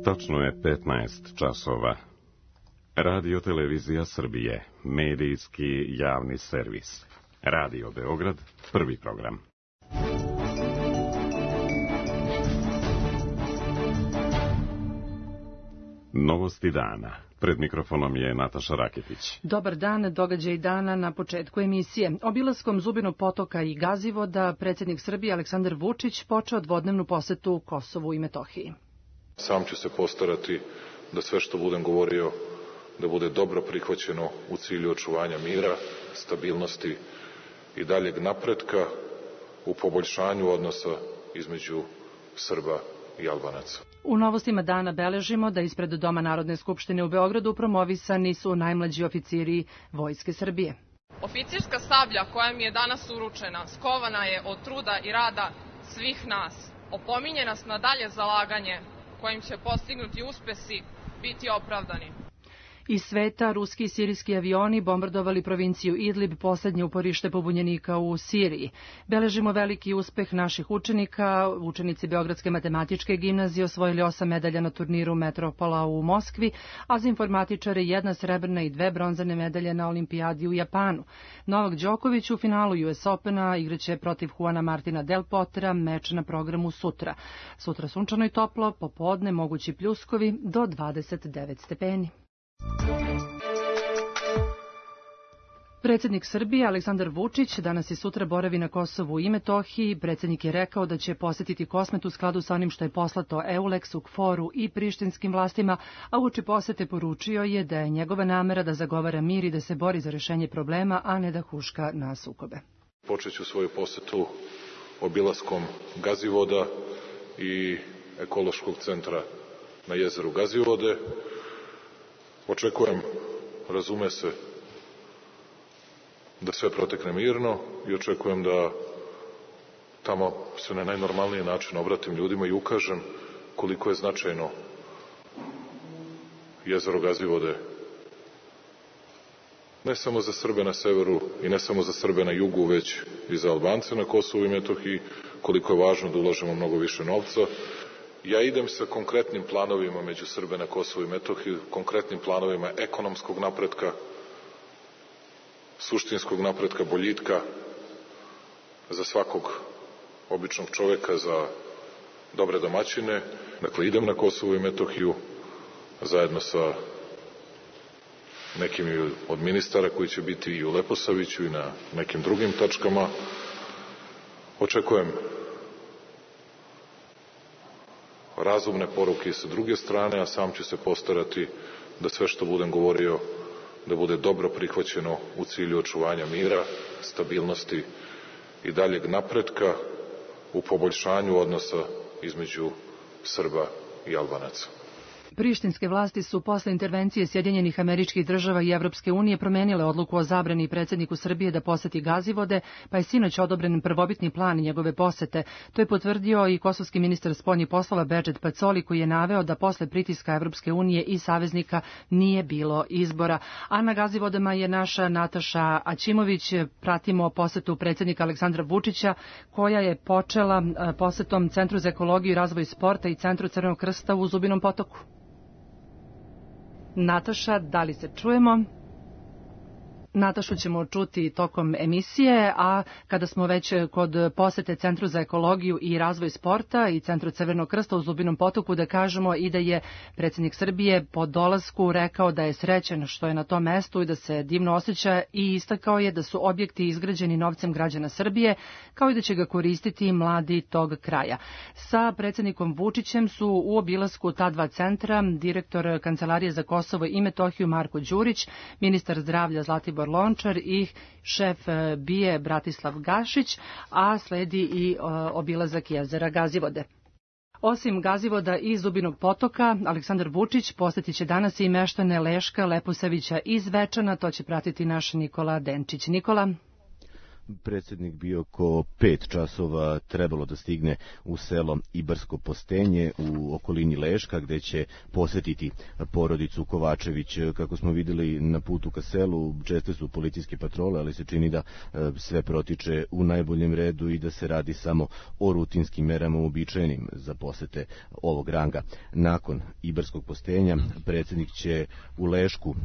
Tačno je 15 časova. Radio Televizija Srbije, medijski javni servis. Radio Beograd, prvi program. Novosti dana. Pred mikrofonom je Nataša Raketić. Dobar dan, događaj dana na početku emisije. Obilaskom Zubinog potoka i Gazivoda, predsjednik Srbije Aleksandar Vučić počeo dvodnevnu posetu Kosovu i Metohiji. Sam ću se postarati da sve što budem govorio da bude dobro prihvaćeno u cilju očuvanja mira, stabilnosti i daljeg napretka u poboljšanju odnosa između Srba i Albanaca. U novostima dana beležimo da ispred Doma Narodne skupštine u Beogradu promovisani su najmlađi oficiri Vojske Srbije. Oficirska sablja koja mi je danas uručena skovana je od truda i rada svih nas. Opominje nas na dalje zalaganje kojim će postignuti uspesi biti opravdani. Iz sveta ruski i sirijski avioni bombardovali provinciju Idlib, poslednje uporište pobunjenika u Siriji. Beležimo veliki uspeh naših učenika. Učenici Beogradske matematičke gimnazije osvojili 8 medalja na turniru Metropola u Moskvi, a za informatičare 1 srebrna i 2 bronzane medalje na olimpijadi u Japanu. Novak Đoković u finalu US Opena igraće protiv Juana Martina Del Pottera, meč na programu sutra. Sutra sunčano i toplo, popodne mogući pljuskovi do 29 stepeni. Predsjednik Srbije Aleksandar Vučić danas i sutra boravi na Kosovu i Metohiji. Predsjednik je rekao da će posetiti Kosmet u skladu sa onim što je poslato EULEX-u, KFOR-u i prištinskim vlastima, a uoči posete poručio je da je njegova namera da zagovara mir i da se bori za rešenje problema, a ne da huška na sukobe. Počeću svoju posetu obilaskom Gazivoda i ekološkog centra na jezeru Gazivode. Očekujem, razume se, da sve protekne mirno i očekujem da tamo se na najnormalniji način obratim ljudima i ukažem koliko je značajno jezero Gazivode ne samo za Srbe na severu i ne samo za Srbe na jugu, već i za Albance na Kosovu i Metohiji, koliko je važno da ulažemo mnogo više novca. Ja idem sa konkretnim planovima među Srbe na Kosovu i Metohiji, konkretnim planovima ekonomskog napretka, suštinskog napretka, boljitka za svakog običnog čoveka, za dobre domaćine. Dakle, idem na Kosovu i Metohiju zajedno sa nekim od ministara koji će biti i u Leposaviću i na nekim drugim tačkama. Očekujem razumne poruke sa druge strane, a sam ću se postarati da sve što budem govorio da bude dobro prihvaćeno u cilju očuvanja mira, stabilnosti i daljeg napretka u poboljšanju odnosa između Srba i Albanaca. Prištinske vlasti su posle intervencije Sjedinjenih Američkih Država i Evropske unije promenile odluku o zabrani predsjedniku Srbije da poseti Gazivode, pa je sinoć odobren prvobitni plan njegove posete. To je potvrdio i kosovski ministar spoljnih poslova Bedžet Pacoli, koji je naveo da posle pritiska Evropske unije i saveznika nije bilo izbora. A na Gazivodama je naša Nataša Aćimović. Pratimo posetu predsjednika Aleksandra Vučića, koja je počela posetom Centru za ekologiju i razvoj sporta i Centru Crvenog krsta u Zubinom potoku. Nataša, da li se čujemo? Natašu ćemo čuti tokom emisije, a kada smo već kod posete Centru za ekologiju i razvoj sporta i Centru Crvenog krsta u Zubinom potoku, da kažemo i da je predsjednik Srbije po dolasku rekao da je srećan što je na tom mestu i da se divno osjeća i istakao je da su objekti izgrađeni novcem građana Srbije, kao i da će ga koristiti mladi tog kraja. Sa predsjednikom Vučićem su u obilasku ta dva centra direktor Kancelarije za Kosovo i Metohiju Marko Đurić, ministar zdravlja Zlatibor Lončar i šef BIA Bratislav Gašić, a sledi i obilazak jezera Gazivode. Osim Gazivoda i Zubinog potoka, Aleksandar Vučić posjetit će danas i meštane Leška, Leposavića i Zvečana, to će pratiti naš Nikola Denčić. Nikola? predsjednik bio oko 5 časova trebalo da stigne u selo Ibarsko Postenje u okolini Leška, gde će posetiti porodicu Kovačević. Kako smo videli na putu ka selu, česte su policijske patrole, ali se čini da sve protiče u najboljem redu i da se radi samo o rutinskim merama uobičajenim za posete ovog ranga. Nakon Ibarskog Postenja predsjednik će u Lešku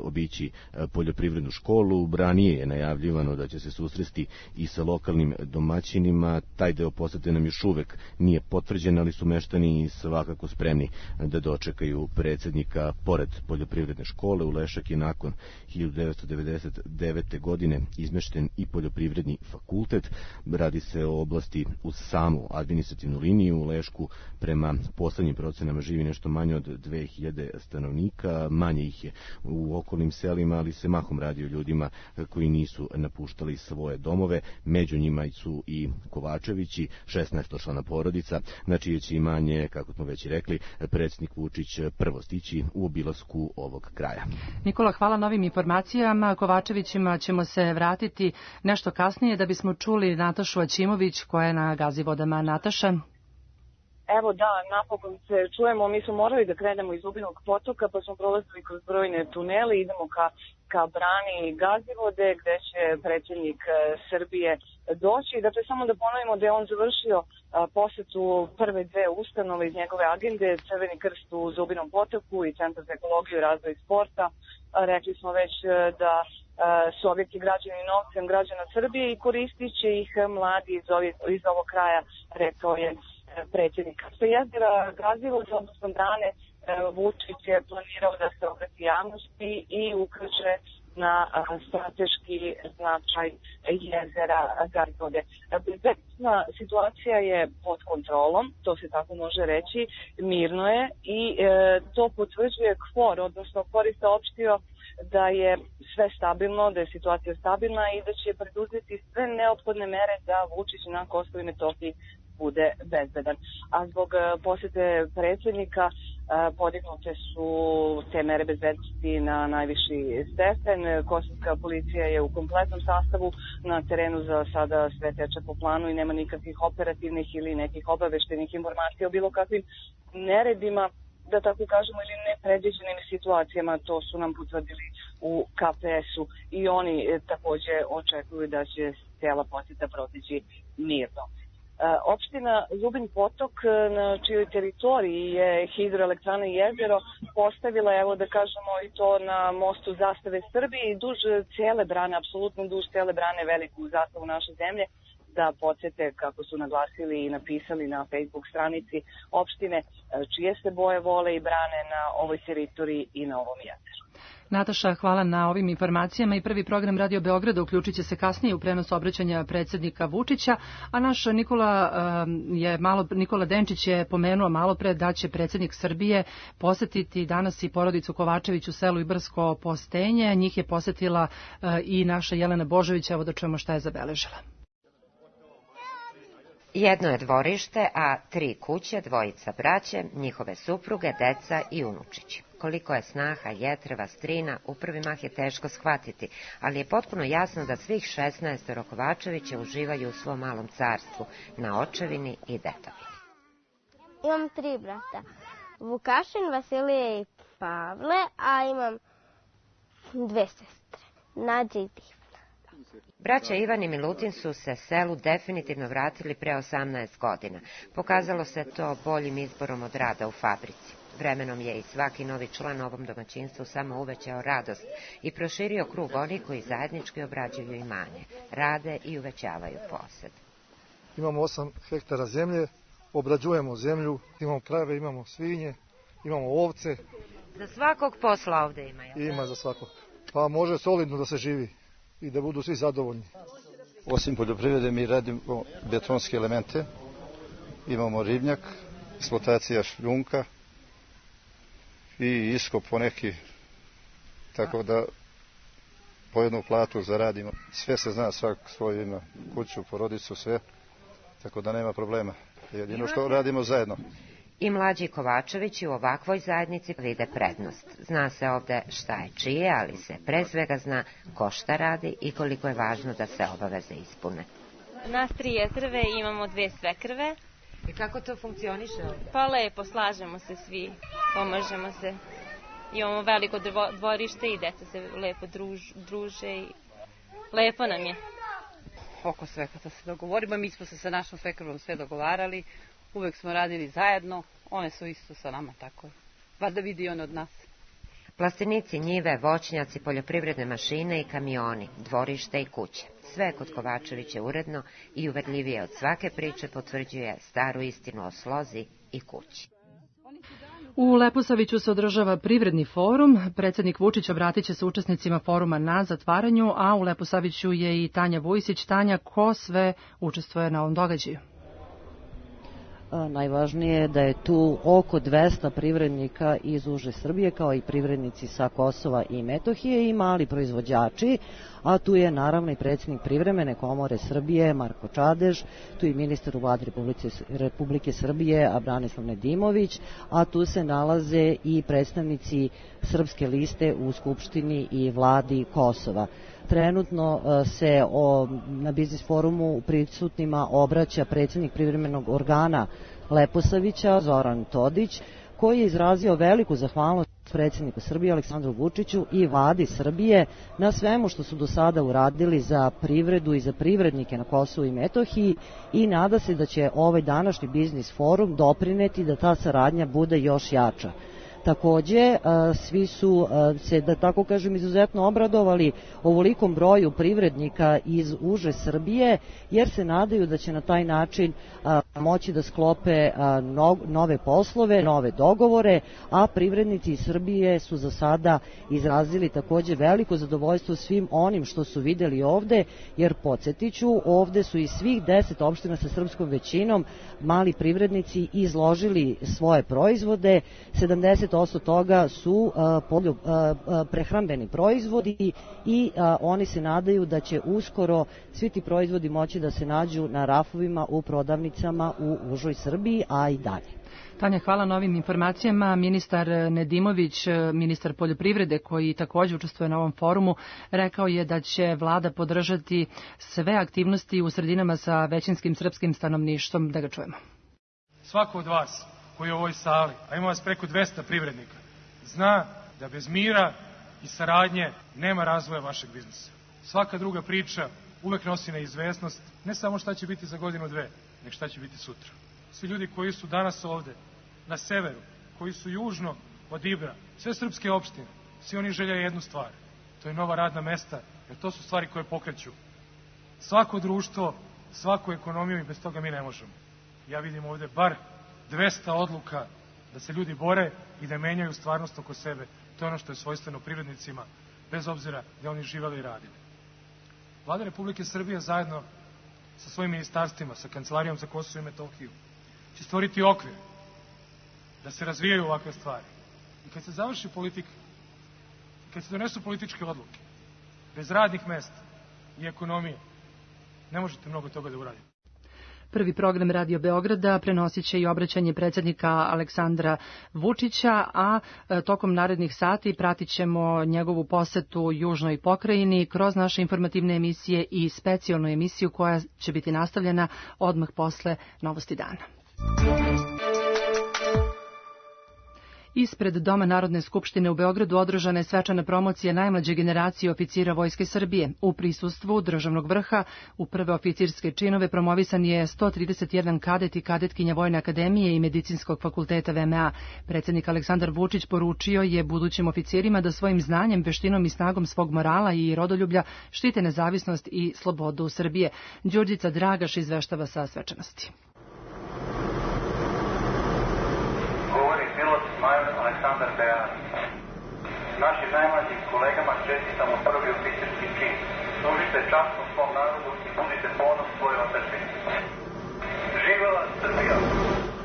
obići poljoprivrednu školu. Ranije je najavljivano da će se susresti i sa lokalnim domaćinima. Taj deo posete nam još uvek nije potvrđen, ali su meštani svakako spremni da dočekaju predsjednika. Pored poljoprivredne škole u Lešak je nakon 1999. godine izmešten i poljoprivredni fakultet. Radi se o oblasti uz samu administrativnu liniju. U Lešku prema poslednjim procenama živi nešto manje od 2000 stanovnika. Manje ih je u okolnim selima, ali se mahom radi o ljudima koji nisu napuštali svoje domove. Među njima su i Kovačevići, 16-člana porodica, na čije će imanje, kako smo već rekli, predsjednik Vučić prvo stići u obilasku ovog kraja. Nikola, hvala na ovim informacijama. Kovačevićima ćemo se vratiti nešto kasnije da bismo čuli Natašu Aćimović koja je na Gazivodama. Nataša? Evo da, napokon se čujemo, mi smo morali da krenemo iz Zubinog potoka, pa smo prolazili kroz brojne tunele, idemo ka brani Gazivode, gde će predsjednik Srbije doći. Dakle, samo da ponovimo da je on završio posetu prve dve ustanove iz njegove agende, Crveni krst u Zubinom potoku i Centar za ekologiju, razvoj i sporta. Rekli smo već da su objekti građani novcem građana Srbije i koristit će ih mladi iz ovog kraja, rekao je predsjednik. Što jezera Gazivode, odnosno brane, Vučić je planirao da se obrati javnosti i ukaže na strateški značaj jezera Gazivode. Bezbednosna situacija je pod kontrolom, to se tako može reći, mirno je i to potvrđuje KFOR, odnosno KFOR je saopštio da je sve stabilno, da je situacija stabilna i da će preduzeti sve neophodne mere da Vučić na Kosovu i Metohiji bude bezbedan. A zbog posete predsjednika podignute su te mere bezbednosti na najviši stepen. Kosovska policija je u kompletnom sastavu na terenu, za sada sve teče po planu i nema nikakvih operativnih ili nekih obaveštenih informacija o bilo kakvim neredima, da tako kažemo, ili nepredviđenim situacijama. To su nam potvrdili u KPS-u i oni takođe očekuju da će cijela poseta proteći mirno. Opština Zubin potok, na čijoj teritoriji je hidroelektrana Jezero, postavila, evo da kažemo i to na mostu Zastave Srbije i duž cijele brane, apsolutno duž cijele brane, veliku zastavu naše zemlje, da podsjete, kako su naglasili i napisali na Facebook stranici opštine, čije se boje vole i brane na ovoj teritoriji i na ovom jezeru. Nataša, hvala na ovim informacijama i prvi program Radio Beograda uključit će se kasnije u prenos obraćanja predsjednika Vučića, a naš Nikola Denčić je pomenuo malo pre da će predsjednik Srbije posetiti danas i porodicu Kovačević u selu Ibarsko Postenje. Njih je posetila i naša Jelena Božović, evo da čujemo šta je zabeležila. Jedno je dvorište, a 3 kuće, 2 braće, njihove supruge, deca i unučići. Koliko je snaha, jetreva, strina, u prvi mah je teško shvatiti, ali je potpuno jasno da svih 16 Kovačevića uživaju u svom malom carstvu, na očevini i detovini. Imam 3 brata, Vukašin, Vasilije i Pavle, a imam 2 sestre, Nađa i Divna. Braća Ivan i Milutin su se selu definitivno vratili pre 18 godina. Pokazalo se to boljim izborom od rada u fabrici. Vremenom je i svaki novi član ovom domaćinstvu samo uvećao radost i proširio krug onih koji zajednički obrađuju imanje, rade i uvećavaju posed. Imamo 8 hektara zemlje, obrađujemo zemlju, imamo krave, imamo svinje, imamo ovce. Za svakog posla ovde ima, jel? Ima za svakog. Pa može solidno da se živi i da budu svi zadovoljni. Osim poljoprivrede mi radimo betonske elemente, imamo ribnjak, eksploatacija šljunka i iskop poneki, tako da po jednu platu zaradimo. Sve se zna, svak svoju ima, kuću, porodicu, sve, tako da nema problema. Jedino što radimo zajedno. I mlađi Kovačevići u ovakvoj zajednici vide prednost. Zna se ovde šta je čije, ali se pre svega zna ko šta radi i koliko je važno da se obaveze ispune. Nas 3 jetrve i imamo 2 svekrve. I kako to funkcioniše ovde? Pa lepo, slažemo se svi, pomažemo se. Imamo veliko dvorište i deca se lepo druže i lepo nam je. Oko svega da se dogovorimo, mi smo se sa našom svekrvom sve dogovarali, uvek smo radili zajedno, one su isto sa nama, tako je. Valjda vidi on od nas. Plastenici, njive, voćnjaci, poljoprivredne mašine i kamioni, dvorište i kuće. Sve kod Kovačevića uredno i uverljivije od svake priče potvrđuje staru istinu o slozi i kući. U Leposaviću se održava privredni forum. Predsjednik Vučić obratit će se učesnicima foruma na zatvaranju, a u Leposaviću je i Tanja Vujsić. Tanja, ko sve učestvuje na ovom događaju? Najvažnije je da je tu oko 200 privrednika iz uže Srbije, kao i privrednici sa Kosova i Metohije i mali proizvođači, a tu je naravno i predsjednik Privremene komore Srbije Marko Čadež, tu je ministar u vladi Republike Srbije Branislav Nedimović, a tu se nalaze i predstavnici Srpske liste u Skupštini i vladi Kosova. Trenutno se na biznis forumu prisutnima obraća predsjednik privremenog organa Leposavića Zoran Todić, koji je izrazio veliku zahvalnost predsjedniku Srbije Aleksandru Vučiću i vladi Srbije na svemu što su do sada uradili za privredu i za privrednike na Kosovu i Metohiji i nada se da će ovaj današnji biznis forum doprineti da ta saradnja bude još jača. Takođe, svi su se, da tako kažem, izuzetno obradovali ovolikom broju privrednika iz uže Srbije, jer se nadaju da će na taj način moći da sklope nove poslove, nove dogovore, a privrednici iz Srbije su za sada izrazili takođe veliko zadovoljstvo svim onim što su videli ovde, jer podsjetiću, ovde su iz svih 10 opština sa srpskom većinom mali privrednici izložili svoje proizvode, 70% toga su prehrambeni proizvodi i oni se nadaju da će uskoro svi ti proizvodi moći da se nađu na rafovima u prodavnicama u užoj Srbiji, a i dalje. Tanja, hvala na ovim informacijama. Ministar Nedimović, ministar poljoprivrede, koji također učestvuje na ovom forumu, rekao je da će vlada podržati sve aktivnosti u sredinama sa većinskim srpskim stanovništvom. Da ga čujemo. Svako od vas koji je u ovoj sali, a ima vas preko 200 privrednika, zna da bez mira i saradnje nema razvoja vašeg biznisa. Svaka druga priča uvek nosi neizvesnost, ne samo šta će biti za godinu, dve, nego šta će biti sutra. Svi ljudi koji su danas ovde, na severu, koji su južno od Ibra, sve srpske opštine, svi oni žele jednu stvar, to je nova radna mesta, jer to su stvari koje pokreću svako društvo, svaku ekonomiju i bez toga mi ne možemo. Ja vidim ovde bar 200 odluka da se ljudi bore i da menjaju stvarnost oko sebe. To je ono što je svojstveno privrednicima, bez obzira gde oni živeli i radili. Vlada Republike Srbije zajedno sa svojim ministarstvima, sa Kancelarijom za Kosovo i Metohiju, će stvoriti okvir da se razvijaju ovakve stvari. I kad se završi politika, i kad se donesu političke odluke, bez radnih mesta i ekonomije, ne možete mnogo toga da uradite. Prvi program Radio Beograda prenosit će i obraćanje predsjednika Aleksandra Vučića, a tokom narednih sati pratit ćemo njegovu posetu Južnoj pokrajini kroz naše informativne emisije i specijalnu emisiju koja će biti nastavljena odmah posle Novosti dana. Ispred Doma Narodne skupštine u Beogradu održana je svečana promocija najmlađe generacije oficira Vojske Srbije. U prisustvu državnog vrha u prve oficirske činove promovisan je 131 kadet i kadetkinja Vojne akademije i Medicinskog fakulteta VMA. Predsjednik Aleksandar Vučić poručio je budućim oficirima da svojim znanjem, veštinom i snagom svog morala i rodoljublja štite nezavisnost i slobodu Srbije. Đurđica Dragaš izveštava sa svečanosti. Aleksandar Bejan. Našim najmlađim kolegama čestitamo prvi oficirski čin. Služite časno svom narodu i budite ponos svojoj otadžbini. Živela Srbija!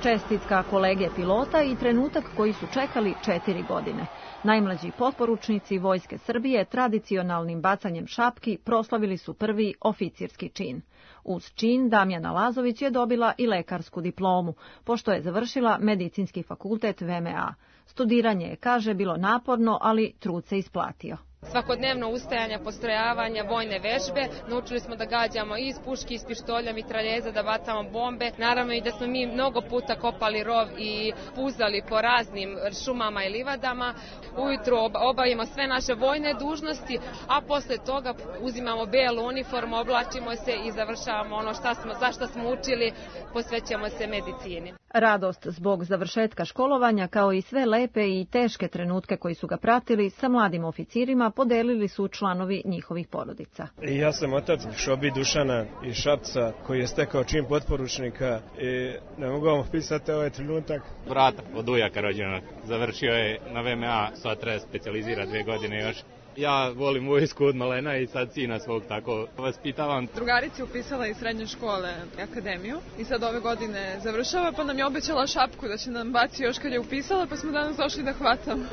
čestitka kolege pilota i trenutak koji su čekali 4 godine. Najmlađi potporučnici Vojske Srbije tradicionalnim bacanjem šapki proslavili su prvi oficirski čin. Uz čin Damjana Lazović je dobila i lekarsku diplomu, pošto je završila Medicinski fakultet VMA. Studiranje je, kaže, bilo naporno, ali trud se isplatio. Svakodnevno ustajanja, postrojavanja, vojne vežbe. Naučili smo da gađamo iz puški, iz pištolja, mitraljeza, da bacamo bombe. Naravno i da smo mi mnogo puta kopali rov i puzali po raznim šumama i livadama. Ujutru obavimo sve naše vojne dužnosti, a posle toga uzimamo belu uniformu, oblačimo se i završavamo ono za što smo učili, posvećamo se medicini. Radost zbog završetka školovanja, kao i sve lepe i teške trenutke koji su ga pratili, sa mladim oficirima podelili su članovi njihovih porodica. Ja sam otac Šobi Dušana iz Šapca, koji je stekao čin potporučnika i ne mogu vam opisati ovaj trenutak. Brata od ujaka rođenog, završio je na VMA, sad treba specijalizira 2 godine još. Ja volim vojsku od malena i sad sina svog tako vaspitavam. Drugarica je upisala iz srednje škole akademiju i sad ove godine završava, pa nam je obećala šapku da će nam baci još kad je upisala, pa smo danas došli da hvatamo.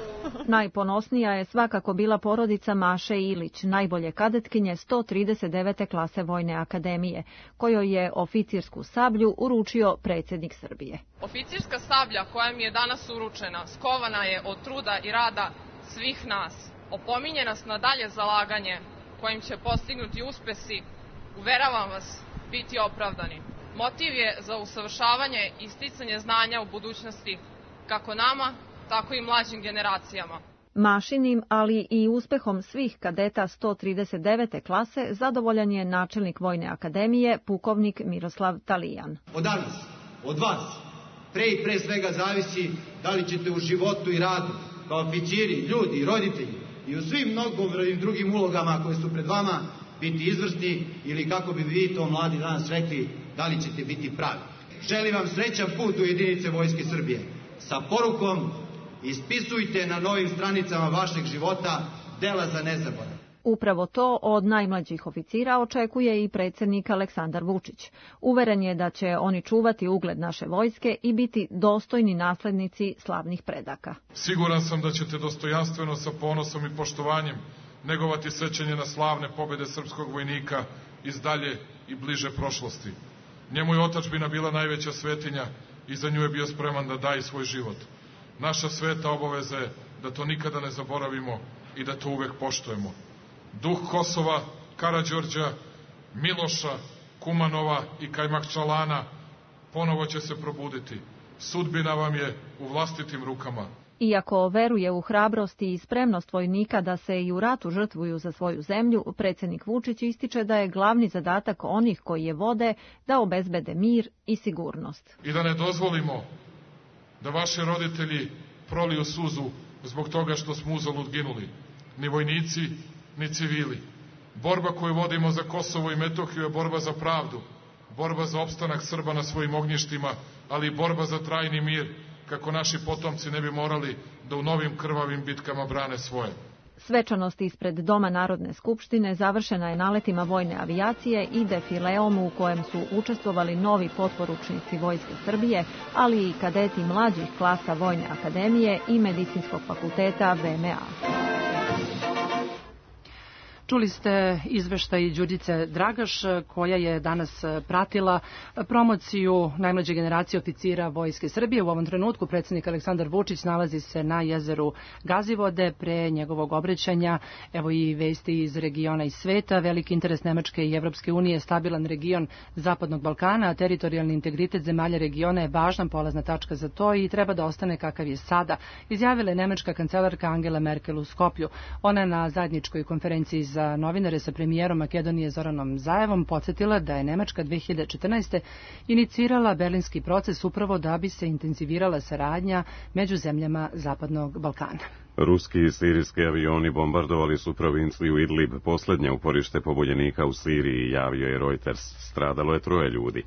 Najponosnija je svakako bila porodica Maše Ilić, najbolje kadetkinje 139. klase Vojne akademije, kojoj je oficirsku sablju uručio predsjednik Srbije. Oficirska sablja koja mi je danas uručena skovana je od truda i rada svih nas. Opominje nas na dalje zalaganje kojim će postignuti uspesi, uveravam vas, biti opravdani. Motiv je za usavršavanje i sticanje znanja u budućnosti, kako nama, tako i mlađim generacijama. Mašinim, ali i uspehom svih kadeta 139. klase zadovoljan je načelnik Vojne akademije, pukovnik Miroslav Talijan. Od danas, od vas, pre svega zavisi da li ćete u životu i radu, kao oficiri, ljudi, roditelji, i u svim mnogobrojnim drugim ulogama koje su pred vama biti izvrsni ili, kako bi vi to mladi danas rekli, da li ćete biti pravi. Želim vam srećan put u jedinice Vojske Srbije. Sa porukom ispisujte na novim stranicama vašeg života dela za nezaborav. Upravo to od najmlađih oficira očekuje i predsjednik Aleksandar Vučić. Uveren je da će oni čuvati ugled naše vojske i biti dostojni naslednici slavnih predaka. Siguran sam da ćete dostojanstveno, sa ponosom i poštovanjem negovati sećanje na slavne pobjede srpskog vojnika iz dalje i bliže prošlosti. Njemu je otadžbina bila najveća svetinja i za nju je bio spreman da daje svoj život. Naša sveta obaveza je da to nikada ne zaboravimo i da to uvek poštujemo. Duh Kosova, Karađorđa, Miloša, Kumanova i Kajmakčalana ponovo će se probuditi. Sudbina vam je u vlastitim rukama. Iako veruje u hrabrost i spremnost vojnika da se i u ratu žrtvuju za svoju zemlju, predsjednik Vučić ističe da je glavni zadatak onih koji je vode da obezbede mir i sigurnost. I da ne dozvolimo da vaši roditelji proliju suzu zbog toga što smo uzalud ginuli. Ni vojnici, ni civili. Borba koju vodimo za Kosovo i Metohiju je borba za pravdu, borba za opstanak Srba na svojim ognjištima, ali i borba za trajni mir, kako naši potomci ne bi morali da u novim krvavim bitkama brane svoje. Svečanost ispred Doma Narodne skupštine završena je naletima vojne avijacije i defileom u kojem su učestvovali novi potporučnici Vojske Srbije, ali i kadeti mlađih klasa Vojne akademije i Medicinskog fakulteta VMA. Čuli ste izveštaj Đurđice Dragaš, koja je danas pratila promociju najmlađe generacije oficira Vojske Srbije. U ovom trenutku predsjednik Aleksandar Vučić nalazi se na jezeru Gazivode. Pre njegovog obraćanja, evo i vesti iz regiona i sveta. Veliki interes Nemačke i Evropske unije, stabilan region Zapadnog Balkana, a teritorijalni integritet zemalja regiona je važna polazna tačka za to i treba da ostane kakav je sada, izjavila je nemačka kancelarka Angela Merkel u Skoplju. Ona je na zajedničkoj konferenciji za novinare sa premijerom Makedonije Zoranom Zaevom podsjetila da je Nemačka 2014. inicirala berlinski proces upravo da bi se intenzivirala saradnja među zemljama Zapadnog Balkana. Ruski i sirijski avioni bombardovali su provinciju Idlib, poslednje uporište pobunjenika u Siriji, javio je Reuters. Stradalo je 3 ljudi.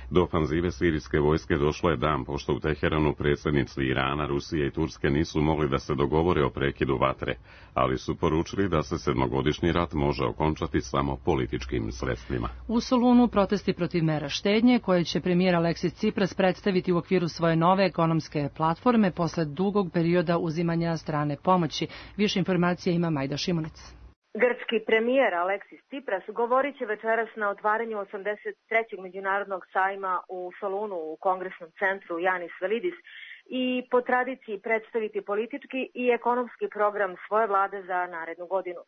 Do ofanzive sirijske vojske došlo je dan pošto u Teheranu predsjednici Irana, Rusije i Turske nisu mogli da se dogovore o prekidu vatre, ali su poručili da se 7-godišnji rat može okončati samo političkim sredstvima. U Solunu protesti protiv mera štednje koje će premijer Aleksis Tsipras predstaviti u okviru svoje nove ekonomske platforme posle dugog perioda uzimanja strane pomoći. Više informacija ima Majda Šimunic. Grčki premijer Aleksis Tsipras govorit će večeras na otvaranju 83. međunarodnog sajma u Solunu u kongresnom centru Janis Velidis i po tradiciji predstaviti politički i ekonomski program svoje vlade za narednu godinu.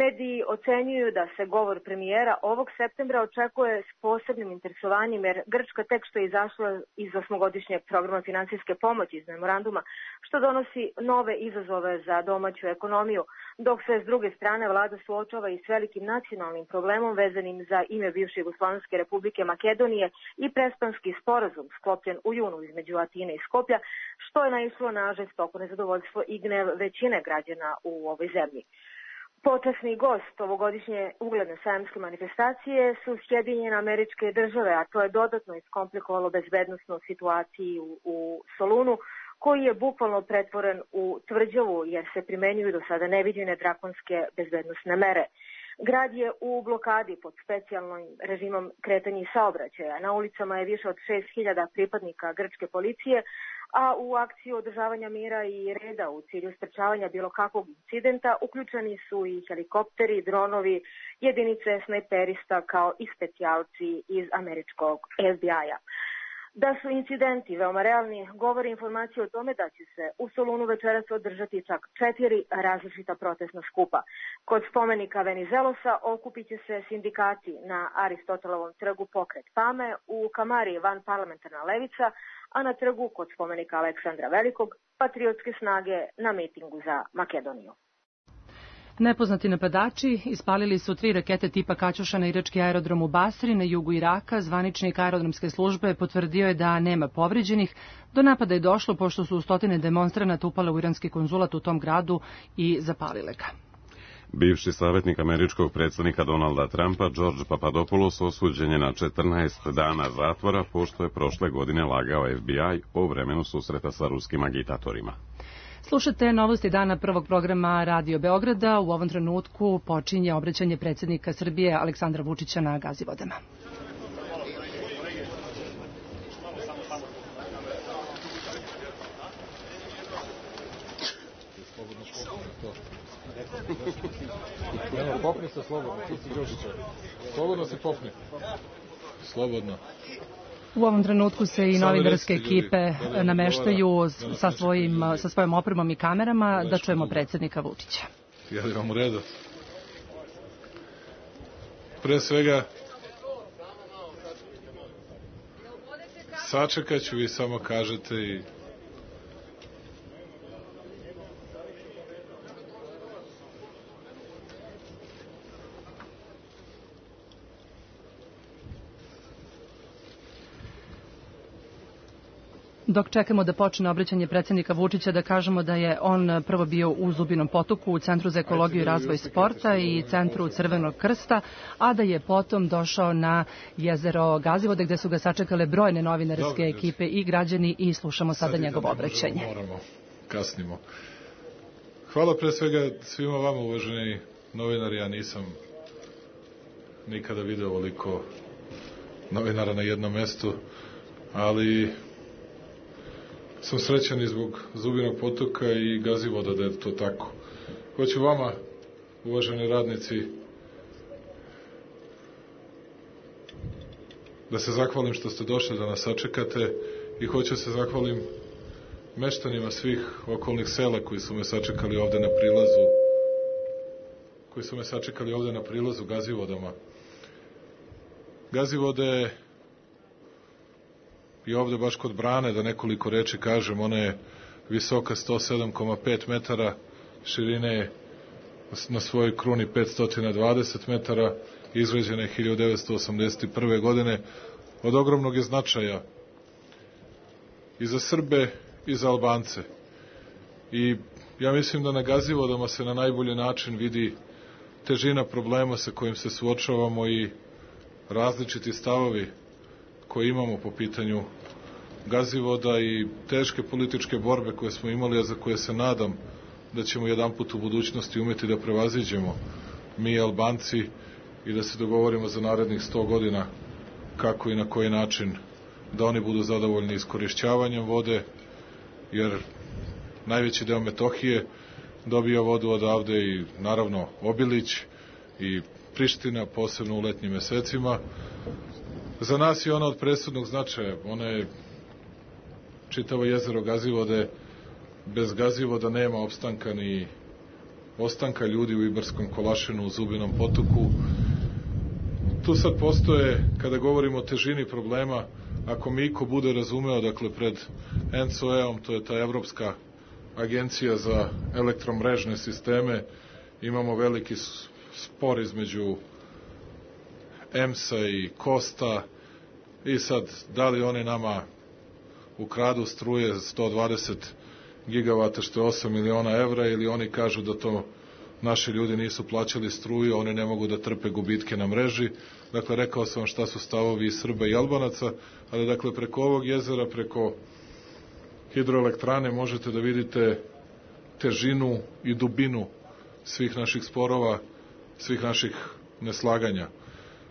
Mediji ocenjuju da se govor premijera ovog septembra očekuje s posebnim interesovanjem jer Grčka tek što je izašla iz 8-godišnjeg programa finansijske pomoći iz memoranduma, što donosi nove izazove za domaću ekonomiju, dok se s druge strane vlada suočava i s velikim nacionalnim problemom vezanim za ime bivše Jugoslovenske republike Makedonije i Prespanski sporazum sklopljen u junu između Atine i Skoplja, što je naišlo na žestoko nezadovoljstvo i gnev većine građana u ovoj zemlji. Počasni gost ovogodišnje ugledne sajamske manifestacije su Sjedinjene Američke Države, a to je dodatno iskomplikovalo bezbednosnu situaciju u Solunu, koji je bukvalno pretvoren u tvrđavu jer se primenjuju do sada neviđene drakonske bezbednosne mere. Grad je u blokadi pod specijalnim režimom kretanja i saobraćaja. Na ulicama je više od 6.000 pripadnika grčke policije, a u akciju održavanja mira i reda u cilju sprečavanja bilo kakvog incidenta uključeni su i helikopteri, dronovi, jedinice snajperista kao i specijalci iz američkog FBI-a. Da su incidenti veoma realni, govori informacija o tome da će se u Solunu večeras održati čak 4 različita protestna skupa. Kod spomenika Venizelosa okupit će se sindikati na Aristotelovom trgu Pokret Pame, u Kamari vanparlamentarna levica, a na trgu kod spomenika Aleksandra Velikog patriotske snage na mitingu za Makedoniju. Nepoznati napadači ispalili su 3 rakete tipa Kaćuša na irački aerodrom u Basri na jugu Iraka. Zvaničnik aerodromske službe potvrdio je da nema povređenih. Do napada je došlo pošto su stotine demonstranata upale u iranski konzulat u tom gradu i zapalile ga. Bivši savjetnik američkog predsjednika Donalda Trumpa, George Papadopoulos, osuđen je na 14 dana zatvora pošto je prošle godine lagao FBI o vremenu susreta sa ruskim agitatorima. Slušate novosti dana prvog programa Radio Beograda. U ovom trenutku počinje obraćanje predsjednika Srbije Aleksandra Vučića na Gazivodama. Popni se slobodno, tu si Đužića. Slobodno se popni. Slobodno. U ovom trenutku se i novinarske ekipe nameštaju sa svojom opremom i kamerama da čujemo predsjednika Vučića. Ja li vam u redu? Pre svega, sačekat ću, vi samo kažete i Dok čekamo da počne obraćanje predsjednika Vučića, da kažemo da je on prvo bio u Zubinom Potoku, u Centru za ekologiju i razvoj sporta i Centru Crvenog krsta, a da je potom došao na jezero Gazivode, gde su ga sačekale brojne novinarske ekipe i građani i slušamo sada njegovo obraćanje. Moramo, kasnimo. Hvala pre svega svima vama, uvaženi novinari, ja nisam nikada video ovoliko novinara na jednom mestu, ali sam srećan i zbog Zubinog Potoka i Gazivoda da je to tako. Hoću vama, uvaženi radnici, da se zahvalim što ste došli da nas sačekate i hoću se zahvalim meštanima svih okolnih sela koji su me sačekali ovde na prilazu, Gazivodama. Gazivode i ovde baš kod brane, da nekoliko reči kažem, ona je visoka 107,5 metara, širine je na svojoj kruni 520 metara, izgrađena je 1981. godine, od ogromnog je značaja i za Srbe i za Albance. I ja mislim da na Gazivodama se na najbolji način vidi težina problema sa kojim se suočavamo i različiti stavovi koje imamo po pitanju Gazivoda i teške političke borbe koje smo imali, a za koje se nadam da ćemo jedanput u budućnosti umeti da prevaziđemo mi Albanci i da se dogovorimo za narednih 100 godina kako i na koji način da oni budu zadovoljni iskorišćavanjem vode, jer najveći deo Metohije dobija vodu odavde i naravno Obilić i Priština, posebno u letnjim mesecima. Za nas je ona od presudnog značaja. Ona je čitavo jezero Gazivode. Bez Gazivoda nema opstanka ni ostanka ljudi u Ibarskom Kolašinu, u Zubinom potoku. Tu sad postoje, kada govorimo o težini problema, ako mi iko bude razumeo, dakle pred ENCOE-om, to je ta Evropska agencija za elektromrežne sisteme, imamo veliki spor između EMS-a i Kosta i sad da li oni nama ukradu struje 120 gigavata što je 8 miliona evra ili oni kažu da to naši ljudi nisu plaćali struju, oni ne mogu da trpe gubitke na mreži. Dakle, rekao sam vam šta su stavovi i Srba i Albanaca, ali dakle preko ovog jezera, preko hidroelektrane možete da vidite težinu i dubinu svih naših sporova, svih naših neslaganja.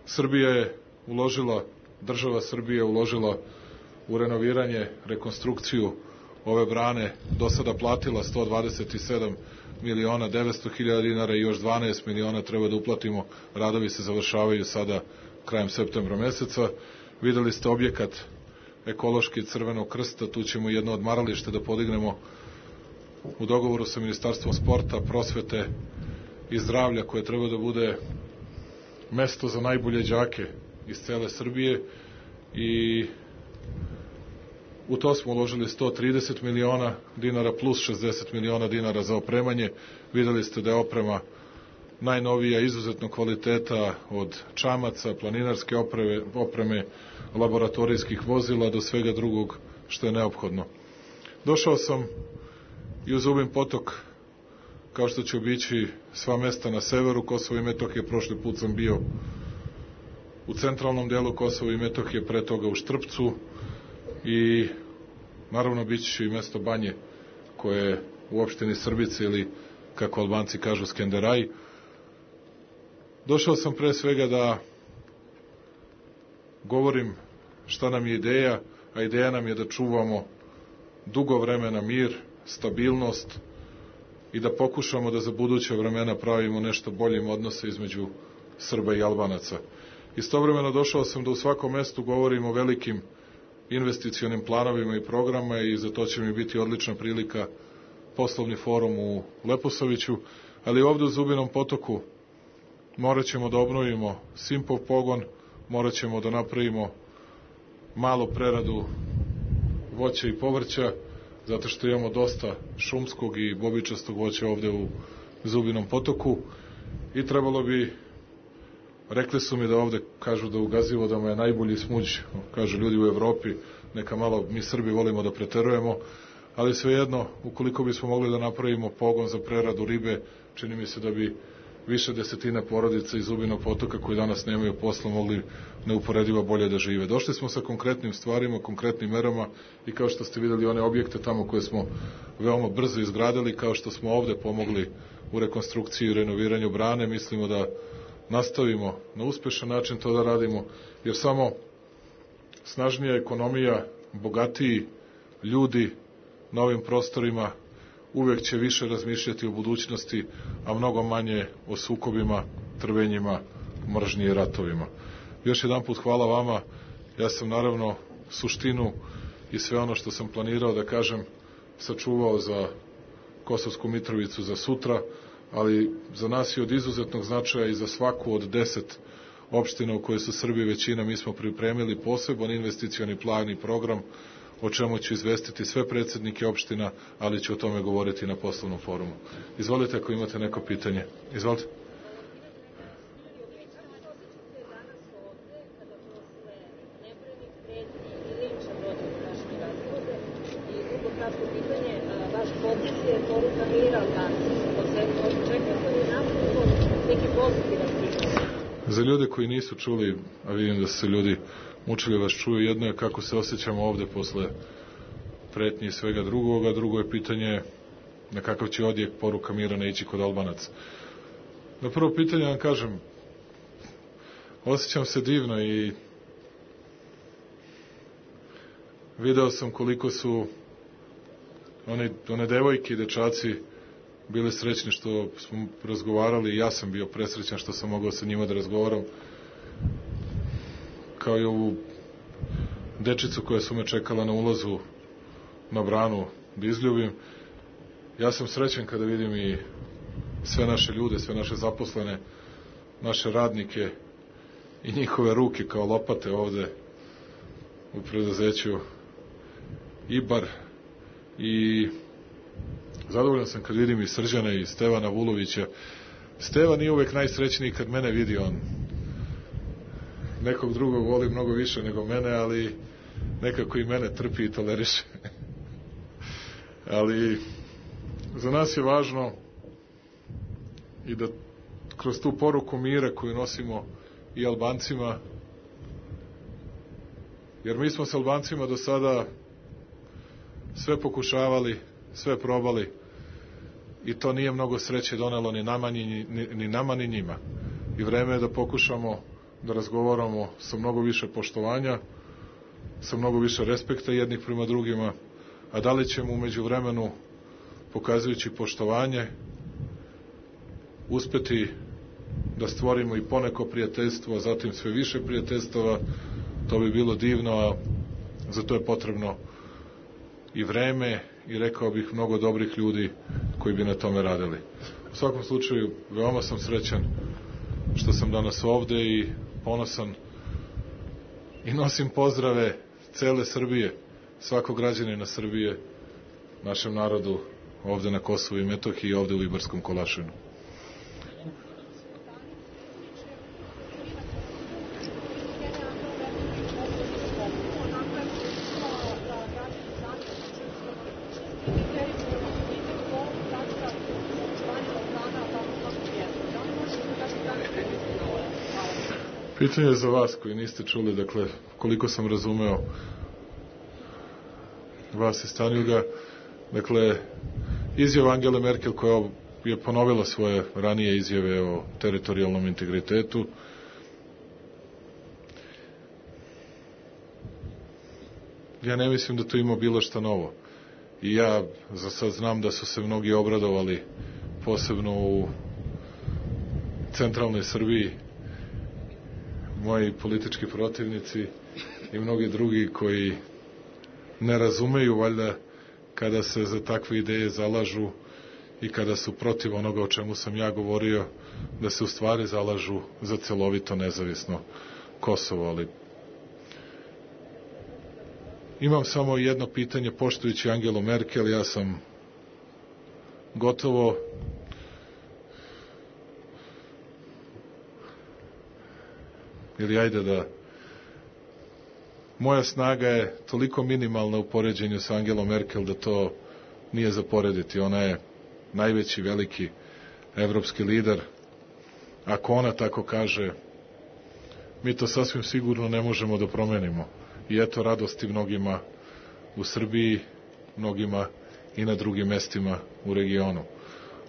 Srbija je uložila, država Srbije je uložila u renoviranje, rekonstrukciju ove brane, do sada platila 127 miliona 900 hiljada dinara i još 12 miliona treba da uplatimo. Radovi se završavaju sada krajem septembra meseca. Videli ste objekat ekološki Crvenog krsta, tu ćemo jedno odmaralište da podignemo u dogovoru sa Ministarstvom sporta, prosvete i zdravlja, koje treba da bude mesto za najbolje đake iz cele Srbije, i u to smo uložili 130 miliona dinara plus 60 miliona dinara za opremanje. Videli ste da je oprema najnovija, izuzetno kvaliteta, od čamaca, planinarske opreme, laboratorijskih vozila do svega drugog što je neophodno. Došao sam i u Zubin potok, kao što će obići sva mesta na severu Kosova i Metohije. Prošli put sam bio u centralnom delu Kosova i Metohije, pre toga u Štrpcu, i naravno bit će i mesto Banje, koje je u opštini Srbice, ili kako Albanci kažu Skenderaj. Došao sam pre svega da govorim šta nam je ideja, a ideja nam je da čuvamo dugo vremena mir, stabilnost i da pokušamo da za buduće vremena pravimo nešto boljim odnose između Srba i Albanaca. Istovremeno došao sam da u svakom mestu govorim o velikim investicionim planovima i programa, i za to će mi biti odlična prilika poslovni forum u Leposaviću, ali ovde u Zubinom potoku morat ćemo da obnovimo Simpov pogon, morat ćemo da napravimo malu preradu voća i povrća, zato što imamo dosta šumskog i bobičastog voća ovde u Zubinom potoku, i trebalo bi, rekli su mi da ovde kažu da u Gazivodama je najbolji smuđ, kažu ljudi u Evropi, neka malo mi Srbi volimo da preterujemo, ali svejedno, ukoliko bismo mogli da napravimo pogon za preradu ribe, čini mi se da bi više desetina porodica iz Zubinog potoka koji danas nemaju posla mogli neuporedivo bolje da žive. Došli smo sa konkretnim stvarima, konkretnim merama, i kao što ste videli one objekte tamo koje smo veoma brzo izgradili, kao što smo ovde pomogli u rekonstrukciji i renoviranju brane, mislimo da nastavimo na uspešan način to da radimo, jer samo snažnija ekonomija, bogatiji ljudi na ovim prostorima uvek će više razmišljati o budućnosti, a mnogo manje o sukobima, trvenjima, mržnji i ratovima. Još jedan put hvala vama. Ja sam naravno suštinu i sve ono što sam planirao da kažem sačuvao za Kosovsku Mitrovicu za sutra, ali za nas je od izuzetnog značaja i za svaku od 10 opština u kojoj su Srbi većina. Mi smo pripremili poseban investicioni plan i program, o čemu ću izvestiti sve predsednike opština, ali ću o tome govoriti na poslovnom forumu. Izvolite ako imate neko pitanje. Izvolite. Za ljude koji nisu čuli, a vidim da su se ljudi mučili vas čuju. Jedno je kako se osjećamo ovde posle pretnje i svega drugoga, drugo je pitanje na kakav će odjek poruka mira ne ići kod Albanaca. Na prvo pitanje vam kažem, osjećam se divno i video sam koliko su one devojke i dečaci bili srećni što smo razgovarali i ja sam bio presrećan što sam mogao sa njima da razgovaram, kao i ovu dečicu koja su me čekala na ulazu na branu da izljubim. Ja sam srećan kada vidim i sve naše ljude, sve naše zaposlene, naše radnike i njihove ruke kao lopate ovde u preduzeću Ibar, i zadovoljan sam kad vidim i Srđana i Stevana Vulovića. Stevan nije uvek najsrećniji kad mene vidi, on nekog drugog voli mnogo više nego mene, ali nekako i mene trpi i toleriše. Ali za nas je važno i da kroz tu poruku mira koju nosimo i Albancima, jer mi smo s Albancima do sada sve pokušavali, sve probali i to nije mnogo sreće donelo ni nama ni njima. I vreme je da pokušamo da razgovaramo sa mnogo više poštovanja, sa mnogo više respekta jednih prema drugima, a da li ćemo umeđu vremenu, pokazujući poštovanje, uspeti da stvorimo i poneko prijateljstvo, a zatim sve više prijateljstava, to bi bilo divno, a za to je potrebno i vreme i rekao bih mnogo dobrih ljudi koji bi na tome radili. U svakom slučaju, veoma sam srećan što sam danas ovde i ponosan i nosim pozdrave cele Srbije, svakog građanina Srbije, našem narodu ovde na Kosovu i Metohiji i ovde u Ibarskom Kolašinu. Pitanje za vas koji niste čuli, dakle, koliko sam razumeo vas iz Tanjuga, dakle, izjava Angele Merkel koja je ponovila svoje ranije izjave o teritorijalnom integritetu. Ja ne mislim da to ima bilo šta novo. I ja za sad znam da su se mnogi obradovali, posebno u centralnoj Srbiji, moji politički protivnici i mnogi drugi koji ne razumeju valjda kada se za takve ideje zalažu i kada su protiv onoga o čemu sam ja govorio, da se u stvari zalažu za celovito nezavisno Kosovo. Ali imam samo jedno pitanje, poštujući Angelu Merkel, ja sam gotovo ili ajde da moja snaga je toliko minimalna u poređenju sa Angelom Merkel da to nije za porediti. Ona je najveći, veliki evropski lider. Ako ona tako kaže, mi to sasvim sigurno ne možemo da promenimo. I eto radosti mnogima u Srbiji, mnogima i na drugim mestima u regionu.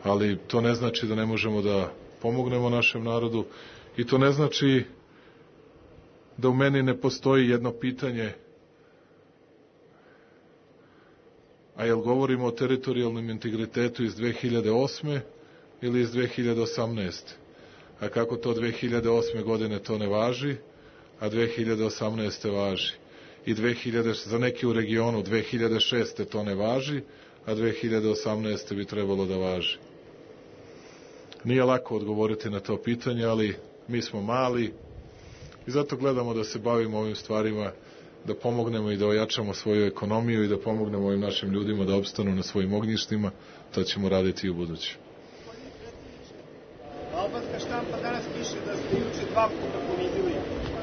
Ali to ne znači da ne možemo da pomognemo našem narodu i to ne znači da u meni ne postoji jedno pitanje, a jel govorimo o teritorijalnom integritetu iz 2008. ili iz 2018. A kako to 2008. godine to ne važi, a 2018. važi. I za neki u regionu 2006. to ne važi, a 2018. bi trebalo da važi. Nije lako odgovoriti na to pitanje, ali mi smo mali, i zato gledamo da se bavimo ovim stvarima, da pomognemo i da ojačamo svoju ekonomiju i da pomognemo ovim našim ljudima da opstanu na svojim ognjištima. To ćemo raditi i u buduće. Albanska štampa danas piše da ste juče 2 puta ponizili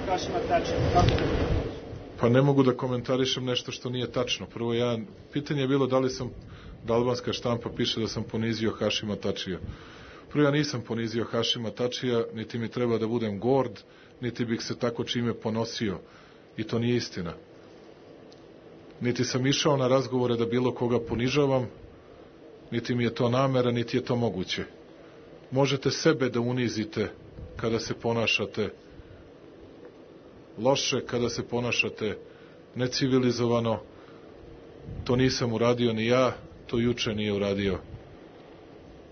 Hašima Tačija. Pa ne mogu da komentarišem nešto što nije tačno. Prvo, pitanje je bilo da albanska štampa piše da sam ponizio Hašima Tačija. Prvo, ja nisam ponizio Hašima Tačija, niti mi treba da budem gord, niti bih se tako čime ponosio. I to nije istina. Niti sam išao na razgovore da bilo koga ponižavam, niti mi je to namera, niti je to moguće. Možete sebe da unizite kada se ponašate loše, kada se ponašate necivilizovano. To nisam uradio ni ja, to juče nije uradio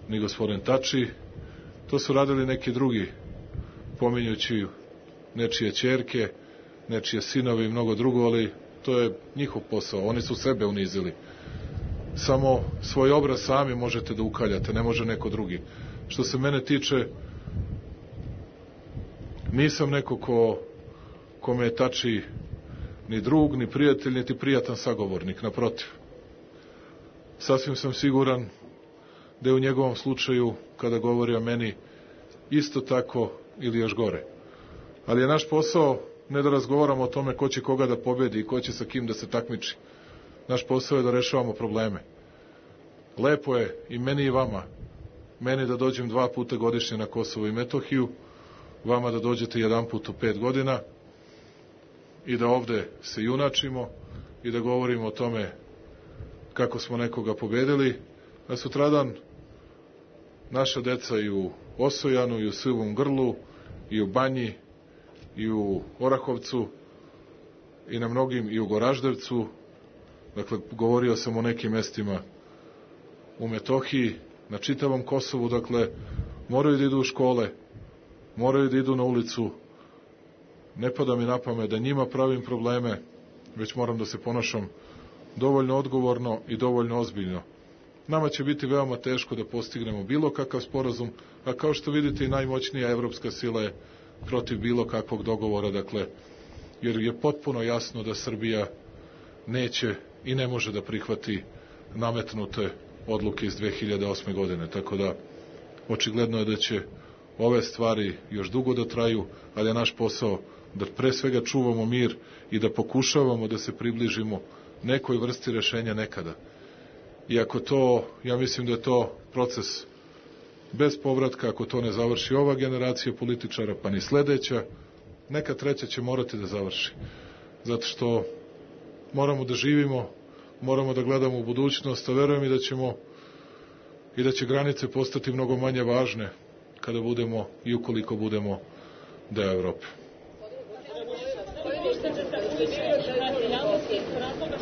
ni gospodin Tači. To su radili neki drugi, pominjući nečije ćerke, nečije sinove i mnogo drugo, ali to je njihov posao. Oni su sebe unizili. Samo svoj obraz sami možete da ukaljate, ne može neko drugi. Što se mene tiče, nisam neko kome je Tači ni drug, ni prijatelj, niti prijatan sagovornik, naprotiv. Sasvim sam siguran da je u njegovom slučaju, kada govori o meni, isto tako ili još gore. Ali je naš posao ne da razgovaramo o tome ko će koga da pobedi i ko će sa kim da se takmiči. Naš posao je da rešavamo probleme. Lepo je i meni i vama. Meni da dođem 2 puta godišnje na Kosovo i Metohiju, vama da dođete 1 put u 5 godina i da ovde se junačimo i da govorimo o tome kako smo nekoga pobedili, a sutradan naša deca i u Osojanu, i u Suvom Grlu, i u Banji, i u Orahovcu, i na mnogim, i u Goraždevcu, dakle, govorio sam o nekim mestima u Metohiji, na čitavom Kosovu, dakle, moraju da idu u škole, moraju da idu na ulicu, ne pada mi na pamet da njima pravim probleme, već moram da se ponašam dovoljno odgovorno i dovoljno ozbiljno. Nama će biti veoma teško da postignemo bilo kakav sporazum, a kao što vidite i najmoćnija evropska sila je protiv bilo kakvog dogovora, dakle, jer je potpuno jasno da Srbija neće i ne može da prihvati nametnute odluke iz 2008. godine, tako da očigledno je da će ove stvari još dugo da traju, ali je naš posao da pre svega čuvamo mir i da pokušavamo da se približimo nekoj vrsti rešenja nekada. I ako to, ja mislim da je to proces bez povratka, ako to ne završi ova generacija političara, pa ni sledeća, neka treća će morati da završi. Zato što moramo da živimo, moramo da gledamo u budućnost, a verujem i da će granice postati mnogo manje važne kada budemo i ukoliko budemo deo Evrope.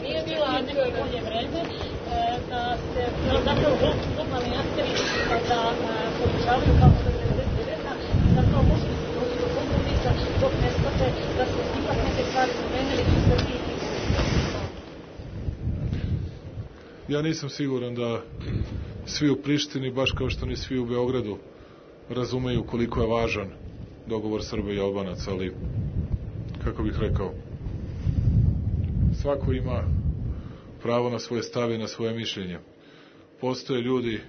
Nije bilo neko bolje vreme da se zapravo globalni akteri da pokušavaju kao što je 99. da to može da se dođe do kompromisa dok ne shvate da se ipak neke stvari promenili u Srbiji. Ja nisam siguran da svi u Prištini, baš kao što ni svi u Beogradu, razumeju koliko je važan dogovor Srba i Albanaca, ali, kako bih rekao, svako ima pravo na svoje stave i na svoje mišljenje. Postoje ljudi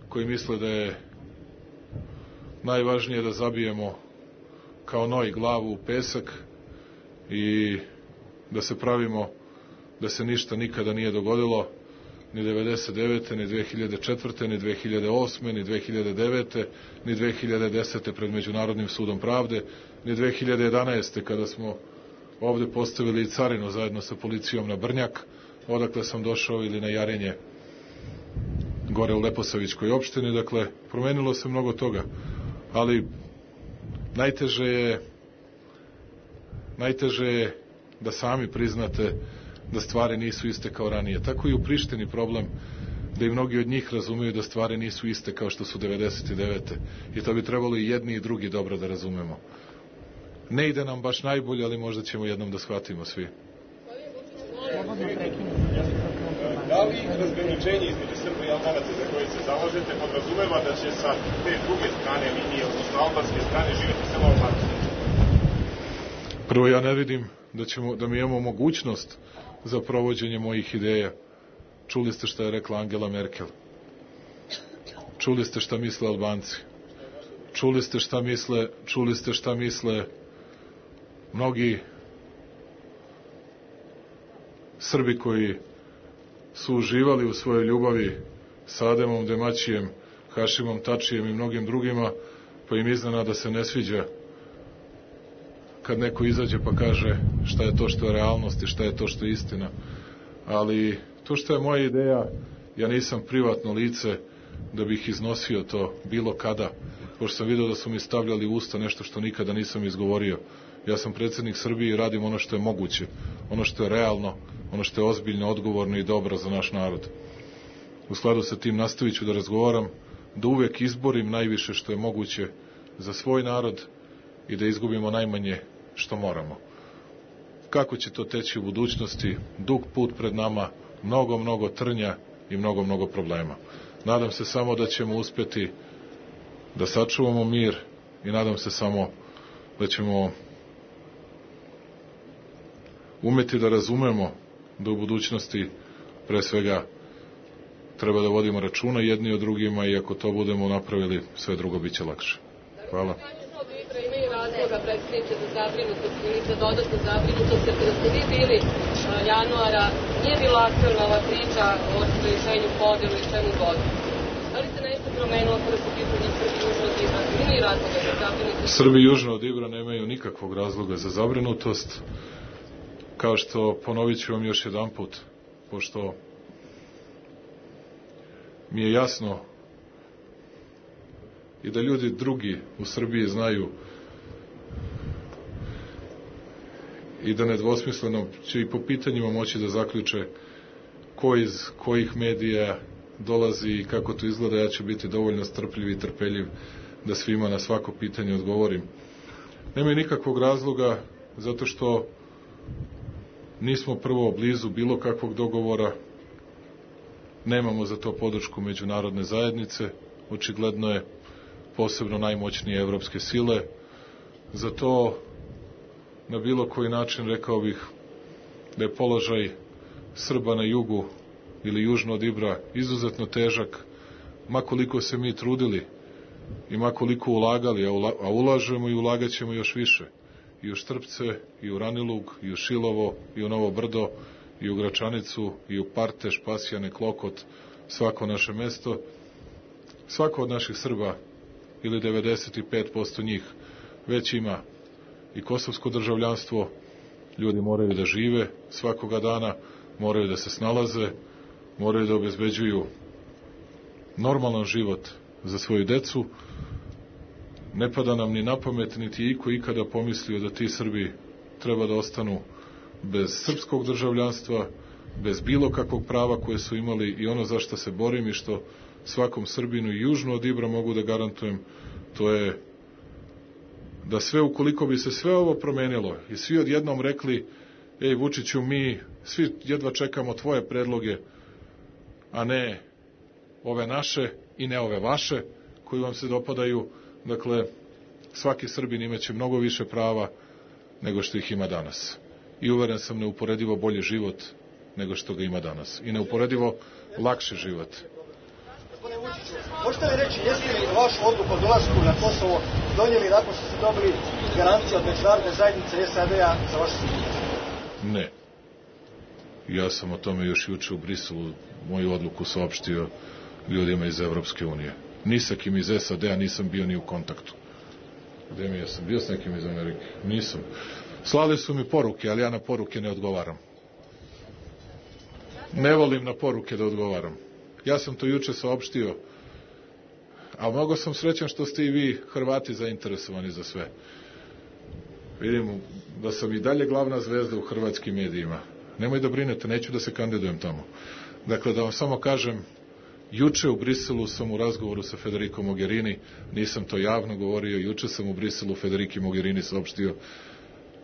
koji misle da je najvažnije da zabijemo kao noj glavu u pesak i da se pravimo da se ništa nikada nije dogodilo, ni 99. ni 2004. ni 2008. ni 2009. ni 2010. pred Međunarodnim sudom pravde, ni 2011. kada smo ovde postavili i carinu zajedno sa policijom na Brnjak, odakle sam došao, ili na Jarinje, gore u Leposavićkoj opštini. Dakle, promenilo se mnogo toga, ali najteže je da sami priznate da stvari nisu iste kao ranije. Tako i u Prištini problem, da i mnogi od njih razumeju da stvari nisu iste kao što su 99. I to bi trebalo i jedni i drugi dobro da razumemo. Ne ide nam baš najbolje, ali možda ćemo jednom da shvatimo svi. Da li razgraničenje između Srba i Albanaca za koje se zalažete podrazumeva da će sa te druge strane linije, odnosno albanske strane, živjeti samo Albanci? Prvo, ja ne vidim da mi imamo mogućnost za provođenje mojih ideja. Čuli ste šta je rekla Angela Merkel. Čuli ste šta misle Albanci. Čuli ste šta misle mnogi Srbi koji su uživali u svojoj ljubavi sa Ademom Demaćijem, Hašimom Tačijem i mnogim drugima, pa im iznenada se ne sviđa kad neko izađe pa kaže šta je to što je realnost i šta je to što je istina. Ali to što je moja ideja, ja nisam privatno lice da bih iznosio to bilo kada, pošto sam vidio da su mi stavljali u usta nešto što nikada nisam izgovorio. Ja sam predsjednik Srbije i radim ono što je moguće, ono što je realno, ono što je ozbiljno, odgovorno i dobro za naš narod. U skladu sa tim nastavit ću da razgovaram, da uvek izborim najviše što je moguće za svoj narod i da izgubimo najmanje što moramo. Kako će to teći u budućnosti? Dug put pred nama, mnogo trnja i mnogo problema. Nadam se samo da ćemo uspjeti da sačuvamo mir i nadam se samo da ćemo umeti da razumemo da u budućnosti pre svega treba da vodimo računa jedni o drugima i ako to budemo napravili, sve drugo bit će lakše. Hvala. Imaju razloga, predsjedniče, za zabrinutost ili za dodatnu zabrinutost, jer kada ste vi bili januara, nije bila aktualna ova priča o rešenju podelu i čemu god. Da li se nešto promenilo kada su pitanje Srbi južno od Ibra? Imaju razloga za zabrinutost? Srbi južno od Ibra nemaju nikakvog razloga za zabrinutost, kao što ponovit ću vam još jedan put, pošto mi je jasno i da ljudi drugi u Srbiji znaju i da nedvosmisleno će i po pitanjima moći da zaključe ko iz kojih medija dolazi i kako to izgleda. Ja ću biti dovoljno strpljiv i trpeljiv da svima na svako pitanje odgovorim. Nema nikakvog razloga zato što nismo prvo blizu bilo kakvog dogovora, nemamo za to podršku međunarodne zajednice, očigledno je posebno najmoćnije evropske sile. Za to na bilo koji način rekao bih da je položaj Srba na jugu ili južno od Ibra izuzetno težak, ma koliko se mi trudili i ma koliko ulagali, a ulažemo i ulagat ćemo još više. I u Štrpce, i u Ranilug, i u Šilovo, i u Novo Brdo, i u Gračanicu, i u Parteš, Pasjane, Klokot, svako naše mesto. Svako od naših Srba, ili 95% njih, već ima i kosovsko državljanstvo. Ljudi moraju da žive svakoga dana, moraju da se snalaze, moraju da obezbeđuju normalan život za svoju decu. Ne pada nam ni na pamet, niti iko ikada pomislio da ti Srbi treba da ostanu bez srpskog državljanstva, bez bilo kakvog prava koje su imali, i ono za što se borim i što svakom Srbinu i južno od Ibra mogu da garantujem, to je da sve, ukoliko bi se sve ovo promenilo i svi odjednom rekli, ej Vučiću, mi svi jedva čekamo tvoje predloge, a ne ove naše i ne ove vaše koji vam se dopadaju, dakle svaki Srbin imaće mnogo više prava nego što ih ima danas. I uveren sam neuporedivo bolji život nego što ga ima danas. I neuporedivo lakši život. Gospodine Vučiću, možete li reći, jeste li vašu odluku o dolasku na Kosovo donijeli nakon što ste dobili garancije od međunarodne zajednice SAD-a za vašu sigurnost? Ne. Ja sam o tome još juče u Briselu moju odluku saopštio ljudima iz Evropske unije. Ni sa kim iz SAD-a nisam bio ni u kontaktu. Gde mi ja sam bio s nekim iz Amerike? Nisam. Slali su mi poruke, ali ja na poruke ne odgovaram. Ne volim na poruke da odgovaram. Ja sam to juče saopštio, a mnogo sam srećan što ste i vi Hrvati zainteresovani za sve. Vidim da sam i dalje glavna zvezda u hrvatskim medijima. Nemoj da brinete, neću da se kandidujem tamo. Dakle, da vam samo kažem, juče u Briselu sam u razgovoru sa Federico Mogherini, nisam to javno govorio, juče sam u Briselu Federici Mogherini saopštio,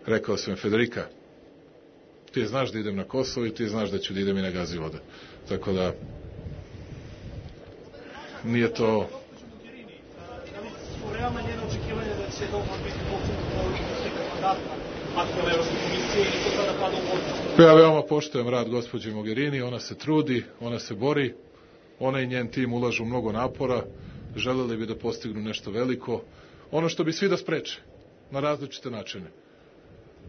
rekao sam, Federica, ti znaš da idem na Kosovo i ti znaš da ću da idem i na Gazivoda. Tako da, nije to... Realna njena očekivanja da će dogovor biti pokrenut kandidata aktualne Evropske komisije i to sada pada u vodu? Ja veoma poštujem rad gospođe Mogherini, ona se trudi, ona se bori, ona i njen tim ulažu mnogo napora, želeli bi da postignu nešto veliko, ono što bi svi da spreče, na različite načine.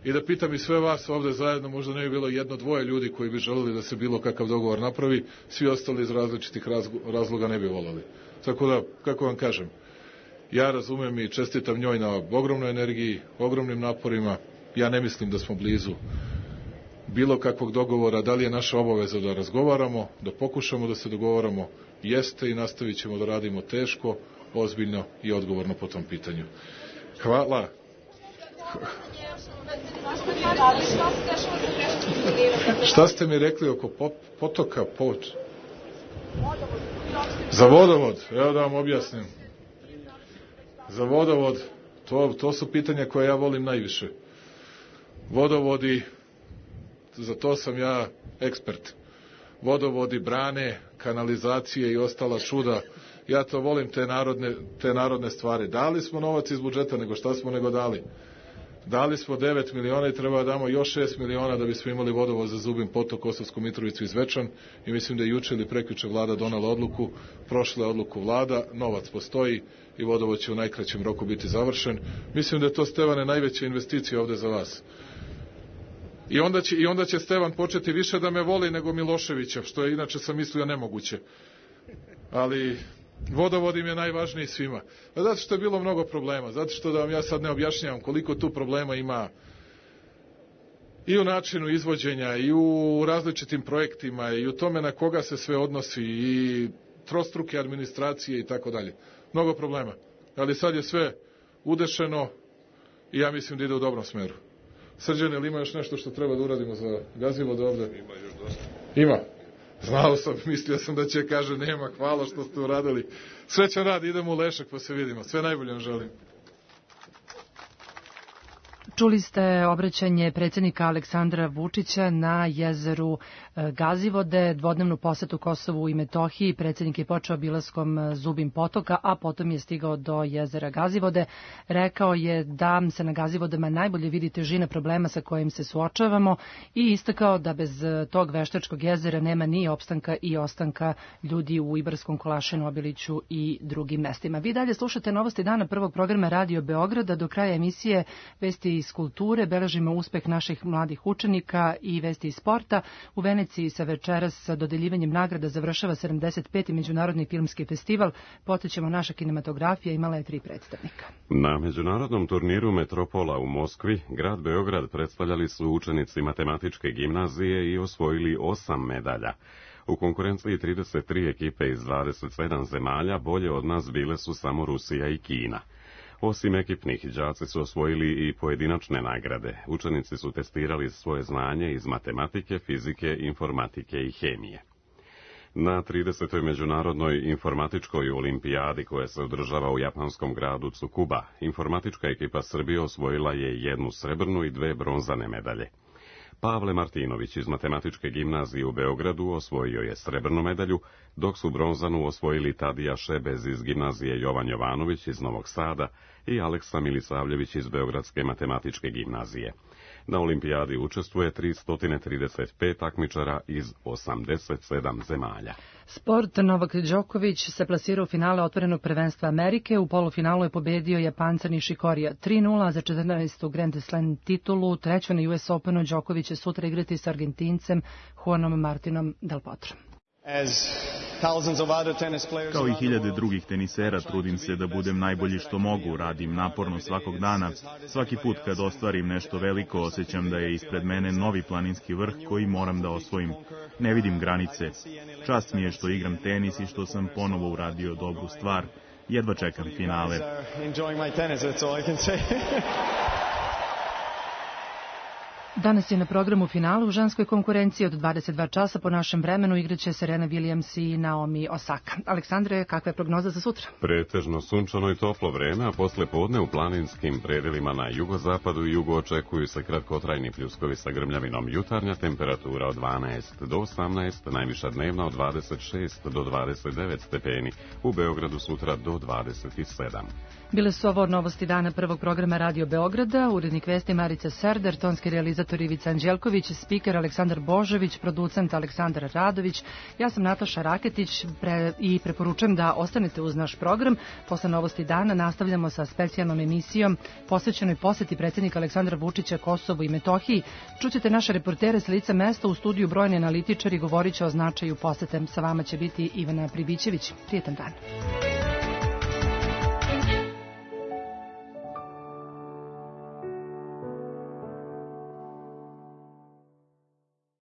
I da pitam i sve vas ovde zajedno, možda ne bi bilo jedno, dvoje ljudi koji bi želeli da se bilo kakav dogovor napravi, svi ostali iz različitih razloga ne bi volali. Tako da, kako vam kažem, Ja razumem i čestitam njoj na ogromnoj energiji, ogromnim naporima. Ja ne mislim da smo blizu bilo kakvog dogovora. Da li je naša obaveza da razgovaramo, da pokušamo da se dogovaramo? Jeste i nastavit ćemo da radimo teško, ozbiljno i odgovorno po tom pitanju. Hvala. Šta ste mi rekli oko potoka? Za vodovod, evo da vam objasnim. Za vodovod, to su pitanja koje ja volim najviše. Vodovodi, za to sam ja ekspert. Vodovodi, brane, kanalizacije i ostala čuda. Ja to volim, te narodne stvari. Dali smo novac iz budžeta, nego šta smo nego dali. Dali smo 9 miliona i treba da damo još 6 miliona da bismo imali vodovod za Zubin Potok, Kosovsku Mitrovicu i Zvečan. I mislim da je juče ili prekjuče vlada donala odluku, prošla odluku vlada, novac postoji i vodovod će u najkraćem roku biti završen. Mislim da je to, Stevane, najveća investicija ovde za vas. I onda će Stevan početi više da me voli nego Miloševića, što je inače sam mislio nemoguće. Ali vodovod im je najvažniji svima. Zato što je bilo mnogo problema, zato što da vam ja sad ne objašnjavam koliko tu problema ima i u načinu izvođenja, i u različitim projektima, i u tome na koga se sve odnosi, i trostruke administracije i tako dalje. Mnogo problema. Ali sad je sve udešeno i ja mislim da ide u dobrom smeru. Srđan, ili ima još nešto što treba da uradimo za Gazivode ovde? Ima još dosta. Ima. Znao sam, mislio sam da će kaže nema, hvala što ste uradili. Srećan rad, idemo u Lešak pa se vidimo. Sve najbolje vam želim. Čuli ste obraćanje predsjednika Aleksandra Vučića na jezeru Gazivode, dvodnevnu posetu Kosovu i Metohiji. Predsjednik je počeo obilaskom Zubin Potoka, a potom je stigao do jezera Gazivode. Rekao je da se na Gazivodama najbolje vidi težina problema sa kojim se suočavamo i istakao da bez tog veštačkog jezera nema ni opstanka i ostanka ljudi u Ibarskom, Kolašinu, Obiliću i drugim mestima. Vi dalje slušate Novosti dana, prvog programa Radio Beograda. Do kraja emisije vesti iz kulture, beležimo uspeh naših mladih učenika i vesti iz sporta. U Veneciji se večeras sa dodeljivanjem nagrada završava 75. Međunarodni filmski festival. Podsjećamo, naša kinematografija imala je 3 predstavnika. Na međunarodnom turniru Metropola u Moskvi, grad Beograd predstavljali su učenici matematičke gimnazije i osvojili 8 medalja. U konkurenciji 33 ekipe iz 27 zemalja, bolje od nas bile su samo Rusija i Kina. Osim ekipnih, đaci su osvojili i pojedinačne nagrade. Učenici su testirali svoje znanje iz matematike, fizike, informatike i hemije. Na 30. međunarodnoj informatičkoj olimpijadi koja se održava u japanskom gradu Tsukuba, informatička ekipa Srbije osvojila je 1 srebrnu i 2 bronzane medalje. Pavle Martinović iz matematičke gimnazije u Beogradu osvojio je srebrnu medalju, dok su bronzanu osvojili Tadija Šebez iz gimnazije Jovan Jovanović iz Novog Sada i Aleksa Milisavljević iz Beogradske matematičke gimnazije. Na olimpijadi učestvuje 335 takmičara iz 87 zemalja. Sport. Novak Đoković se plasirao u finale otvorenog prvenstva Amerike. U polufinalu je pobedio Japanca Nishikorija 3-0 za 14. Grand Slam titulu. Treću na US Openu Đoković će sutra igrati sa Argentincem Juanom Martinom Del Potro. Kao i hiljade drugih tenisera, trudim se da budem najbolji što mogu, radim naporno svakog dana. Svaki put kad ostvarim nešto veliko, osjećam da je ispred mene novi planinski vrh koji moram da osvojim. Ne vidim granice. Čast mi je što igram tenis i što sam ponovo uradio dobru stvar. Jedva čekam finale. Danas je na programu finala u ženskoj konkurenciji od 22 časa po našem vremenu igraće Serena Williams i Naomi Osaka. Aleksandre, kakva je prognoza za sutra? Pretežno sunčano i toplo vreme, a posle podne u planinskim predelima na jugozapadu i jugu očekuju se kratkotrajni pljuskovi sa grmljavinom. Jutarnja temperatura od 12 do 18, najviša dnevna od 26 do 29 stepeni. U Beogradu sutra do 27. Bile su ovo Novosti dana prvog programa Radio Beograda, urednik vesti Marica Serder, tonski realizator Ivica Anđelković, spiker Aleksandar Božović, producent Aleksandar Radović. Ja sam Nataša Raketić i preporučujem da ostanete uz naš program. Posle Novosti dana nastavljamo sa specijalnom emisijom posvećenoj poseti predsjednika Aleksandra Vučića Kosovu i Metohiji. Čućete naše reportere s lica mesta, u studiju brojni analitičari, govorit će o značaju posete. Sa vama će biti Ivana Pribićević. Prijetan dan.